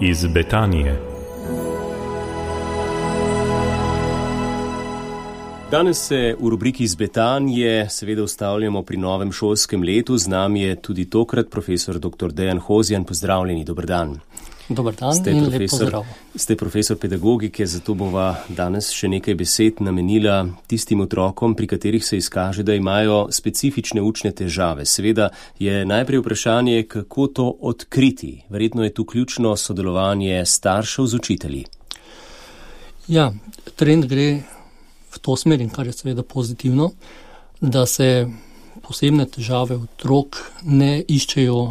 iz Betanije. Danes se v rubriki iz Betanije seveda ustavljamo pri novem šolskem letu. Z nami je tudi tokrat profesor dr. Dejan Hozjan. Pozdravljeni, dober dan. Dobar dan in lep pozdrav. Ste profesor pedagogike, zato bova danes še nekaj besed namenila tistim otrokom, pri katerih se izkaže, da imajo specifične učne težave. Seveda je najprej vprašanje, kako to odkriti. Verjetno je tu ključno sodelovanje staršev z učitelji. Ja, trend gre v to smer, in kar je seveda pozitivno, da se posebne težave otrok ne iščejo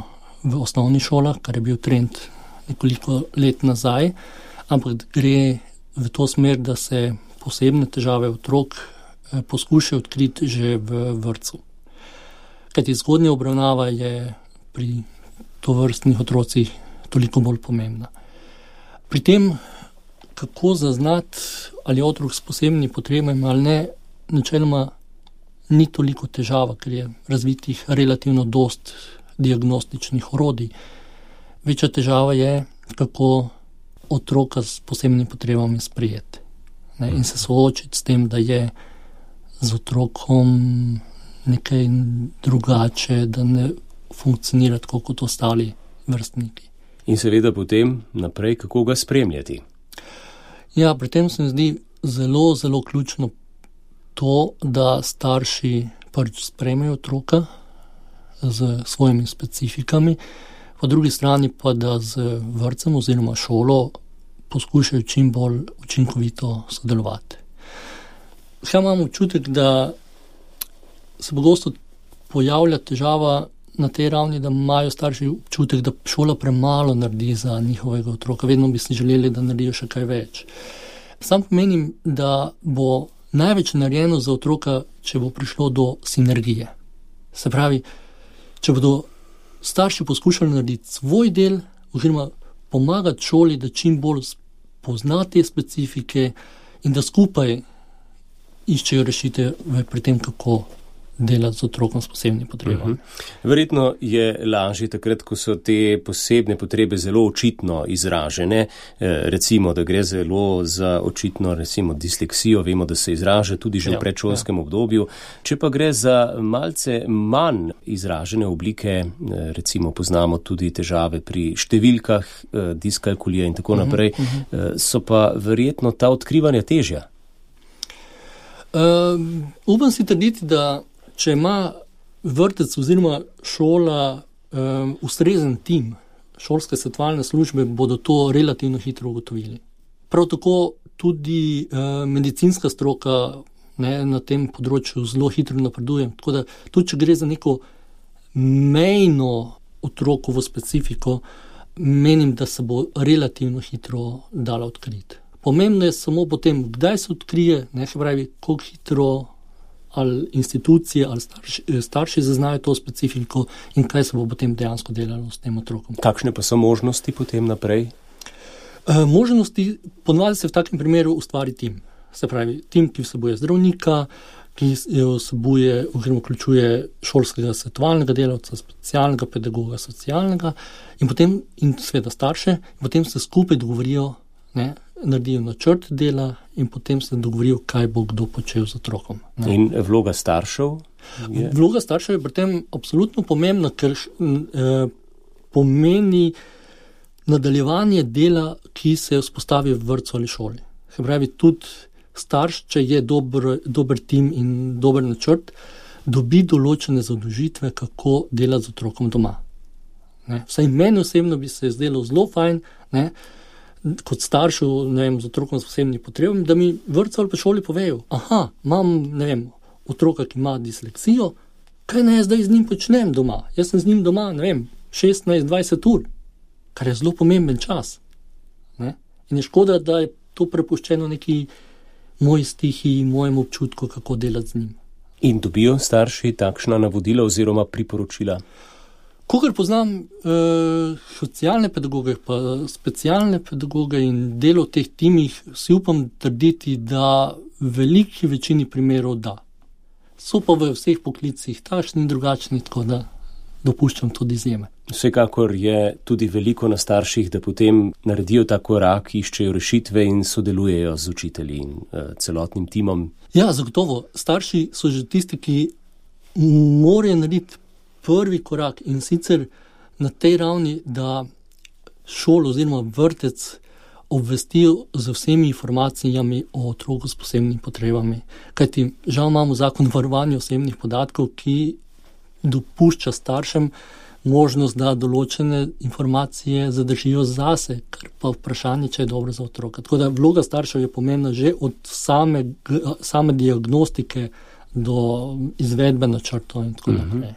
v osnovnih šolah, kar je bil trend nekoliko let nazaj, ampak gre v to smer, da se posebne težave otrok poskušajo odkriti že v vrtcu. Kajti zgodnja obravnava je pri tovrstnih otrocih toliko bolj pomembna. Pri tem, kako zaznati, ali je otrok s posebnimi potrebami ali ne, načeloma ni toliko težava, ker je razvitih relativno dost diagnostičnih orodij. Večja težava je, kako otroka s posebnimi potrebami sprejeti. In se soočiti s tem, da je z otrokom nekaj drugače, da ne funkcionira tako kot ostali vrstniki. In seveda potem naprej, kako ga spremljati. Ja, pri tem se mi zdi zelo, zelo ključno to, da starši prvič sprejmejo otroka z svojimi specifikami, po drugi strani pa, da z vrtcem oziroma šolo poskušajo čim bolj učinkovito sodelovati. Kaj imam občutek, da se pogosto pojavlja težava na tej ravni, da imajo starši občutek, da šola premalo naredi za njihovega otroka. Vedno bi si želeli, da naredijo še kaj več. Sam menim, da bo največ narejeno za otroka, če bo prišlo do sinergije. Se pravi, če bodo starši poskušali narediti svoj del oziroma pomagati šoli, da čim bolj pozna te specifike in da skupaj iščejo rešitve pri tem, kako delati z otrokom s posebnimi potrebami. Verjetno je lažje takrat, ko so te posebne potrebe zelo očitno izražene. Recimo, da gre zelo za očitno, recimo, disleksijo, vemo, da se izraža tudi že v predšolskem obdobju. Če pa gre za malce manj izražene oblike, recimo poznamo tudi težave pri številkah, diskalkulija in tako naprej, so pa verjetno ta odkrivanja težja. Upam si trditi, da če ima vrtec oziroma šola ustrezen tim, šolske svetovalne službe bodo to relativno hitro ugotovili. Prav tako tudi medicinska stroka na tem področju zelo hitro napreduje. Tako da tudi, če gre za neko mejno otrokovo specifiko, menim, da se bo relativno hitro dala odkriti. Pomembno je samo potem, kdaj se odkrije, se pravi, koliko hitro ali institucije ali starši zaznajo to specifiko in kaj se bo potem dejansko delalo s tem otrokom. Kakšne pa so možnosti potem naprej? Možnosti ponavadi se v takem primeru ustvari tim. Se pravi, tim, ki vsebuje zdravnika, ki vsebuje oziroma vključuje šolskega svetovalnega delavca, specialnega pedagoga, socialnega in potem in seveda starše, in potem se skupaj dogovorijo, naredijo načrt dela in potem se dogovorijo, kaj bo kdo počel z otrokom. In vloga staršev? Vloga staršev je pri tem absolutno pomembna, ker pomeni nadaljevanje dela, ki se vzpostavi v vrtcu ali šoli. Se pravi, tudi starš, če je dober tim in dober načrt, dobi določene zadolžitve, kako delati z otrokom doma. Vsaj meni osebno bi se zdelo zelo fajn, kot staršu, z otrokom s posebnimi potrebami, da mi vrtcu ali pa šoli povejo, imam, otroka, ki ima disleksijo, kaj naj jaz zdaj z njim počnem doma? Jaz sem z njim doma, 16-20 ur, kar je zelo pomemben čas. In je škoda, da je to prepuščeno neki moji stihiji, mojemu občutku, kako delati z njim. In dobijo starši takšna navodila oziroma priporočila? Kolikor poznam socialne pedagoge, pa specialne pedagoge in delo v teh timih, si upam trditi, da v veliki večini primerov da. So pa v vseh poklicih takšni in drugačni, tako da dopuščam tudi izjeme. Vsekakor je tudi veliko na starših, da potem naredijo ta korak, iščejo rešitve in sodelujejo z učitelji in celotnim timom. Ja, zagotovo. Starši so že tisti, ki morajo narediti prvi korak in sicer na tej ravni, da šolo oziroma vrtec obvestijo z vsemi informacijami o otroku s posebnimi potrebami. Kajti žal imamo zakon o varovanju osebnih podatkov, ki dopušča staršem možnost, da določene informacije zadržijo zase, kar pa vprašanje, če je dobro za otroka. Tako da vloga staršev je pomembna že od same diagnostike do izvedbe načrtov in tako naprej.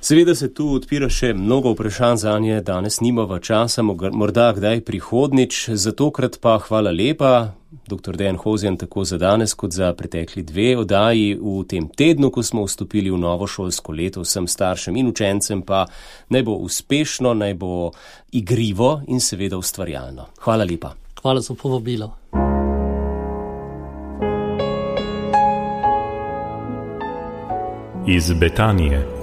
Seveda se tu odpira še mnogo vprašanj zanje, danes nimava časa, morda kdaj prihodnič, za tokrat pa hvala lepa, dr. Dejan Hozjan, tako za danes kot za pretekli 2 oddaji v tem tednu, ko smo vstopili v novo šolsko leto. Vsem staršem in učencem pa naj bo uspešno, naj bo igrivo in seveda ustvarjalno. Hvala lepa. Hvala za povabilo. Iz Betanije.